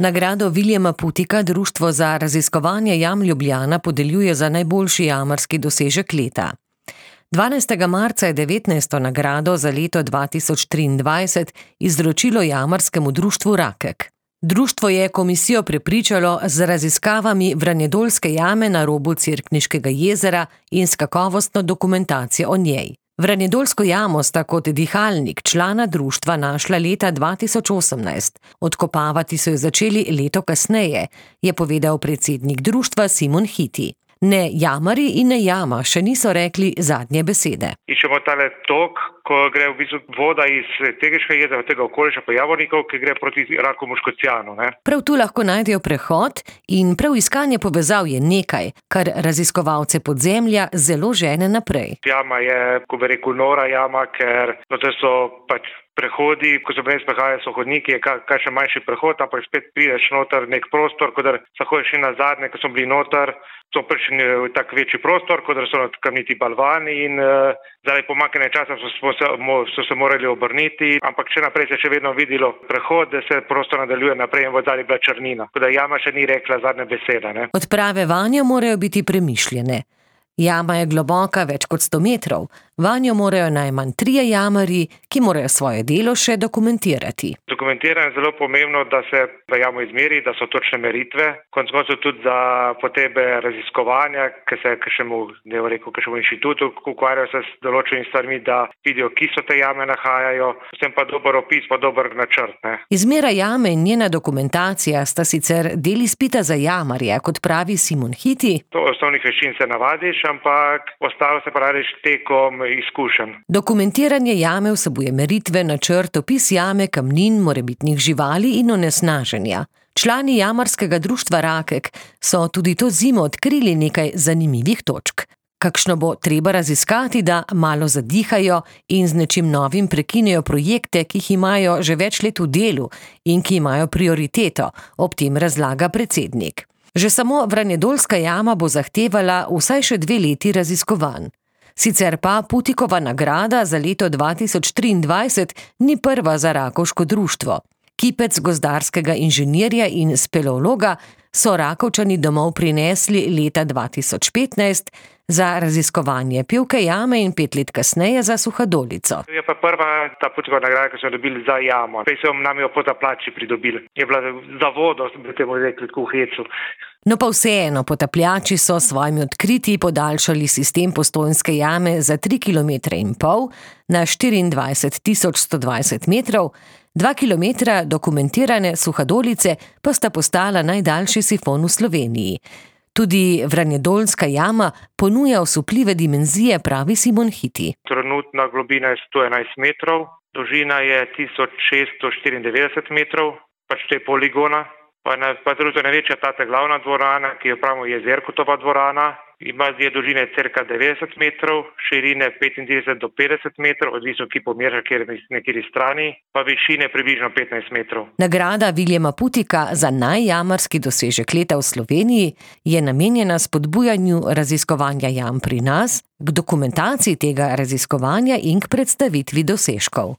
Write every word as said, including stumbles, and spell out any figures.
Nagrado Viljama Putika Društvo za raziskovanje jam Ljubljana podeljuje za najboljši jamarski dosežek leta. dvanajstega marca je devetnajsto nagrado za leto dva tisoč triindvajset izročilo jamarskemu društvu Rakek. Društvo je komisijo prepričalo z raziskavami Vranjedoljske jame na robu Cerkniškega jezera in s kakovostno dokumentacijo o njej. Vranjedoljsko jamo sta kot dihalnik člana društva našla leta dva tisoč osemnajst. Odkopavati so jo začeli leto kasneje, je povedal predsednik društva Simon Hiti. Ne jamari in ne jama še niso rekli zadnje besede. Iščemo tale tok, ko gre v bistvu voda iz Tegeškega jezera, tega okoliša pa Javornikov, ki gre proti Rakovemu Škocjanu. Ne? Prav tu lahko najdejo prehod in prav iskanje povezav je nekaj, kar raziskovalce podzemlja zelo žene naprej. Jama je, ko bi rekel, nora jama, ker no, to so pač prehodi, ko se brez prehajajo, so hodniki, je kaj še manjši prehod, ampak spet prideš noter nek prostor, ko da se hojiš še nazadnje, ko so bili noter, so prišli v tak večji prostor, ko da so kamniti balvani in uh, zaradi pomanjkanja časa so, so, se, so se morali obrniti, ampak še naprej se še vedno videlo prehod, da se prostor nadaljuje naprej in v zadnji bila črnina. Tako da jama še ni rekla zadnje besede. Ne? Odprave vanjo morajo biti premišljene. Jama je globoka več kot sto metrov. Vanjo morajo najmanj trije jamarji, ki morajo svoje delo še dokumentirati. Dokumentiranje je zelo pomembno, da se v jamo izmeri, da so točne meritve. Konec koncev tudi za potrebe raziskovanja, ki se kakšnemu, ne bo rekel, kakšnemu inštitutu ukvarjajo se s določenimi stvarmi, da vidijo, ki so te jame nahajajo. Vsem pa dober opis, pa dober načrt. Ne. Izmera jame in njena dokumentacija sta sicer del izpita za jamarje, kot pravi Simon Hiti. To osnovnih veščin se navadiš, ampak ostalo se praviš tekom izkušenj. Dokumentiranje jame vsebuje meritve, načrt, opis jame, kamnin, morebitnih živali in onesnaženja. Člani jamarskega društva Rakek so tudi to zimo odkrili nekaj zanimivih točk. Kakšno bo treba raziskati, da malo zadihajo in z nečim novim prekinejo projekte, ki jih imajo že več let v delu in ki imajo prioriteto, ob tem razlaga predsednik. Že samo Vranjedoljska jama bo zahtevala vsaj še dve leti raziskovanj. Sicer pa Putikova nagrada za leto dva tisoč triindvajset ni prva za Rakovško društvo. Kipec gozdarskega inženirja in speleologa so Rakovčani domov prinesli leta dva tisoč petnajst za raziskovanje Pivke jame in pet let kasneje za Suhadolico. Je pa prva ta Putikova nagrada, ki so jo dobili za jamo. Prej so nam jo potapljači pridobili. Je bila za vodo, bi temu rekli, tako v hecu. No pa vseeno, potapljači so s svojimi odkritji podaljšali sistem Postojnske jame za tri kilometre in pol na štiriindvajset tisoč sto dvajset metrov, dva kilometra dokumentirane Suhadolice pa sta postala najdaljši sifon v Sloveniji. Tudi Vranjedoljska jama ponuja osupljive dimenzije, pravi Simon Hiti. Trenutna globina je sto enajst metrov, dolžina je tisoč šeststo štiriindevetdeset metrov, pač te poligona. Pa, na, pa drugo največja tata glavna dvorana, ki jo pravimo Jezerkotova dvorana, ima je dolžine cirka devetdeset metrov, širine petintrideset do petdeset metrov, odvisno ki pomeraš, kjer na kateri strani, pa višine približno petnajst metrov. Nagrada Viljama Putika za najjamarski dosežek leta v Sloveniji je namenjena spodbujanju raziskovanja jam pri nas, k dokumentaciji tega raziskovanja in k predstavitvi dosežkov.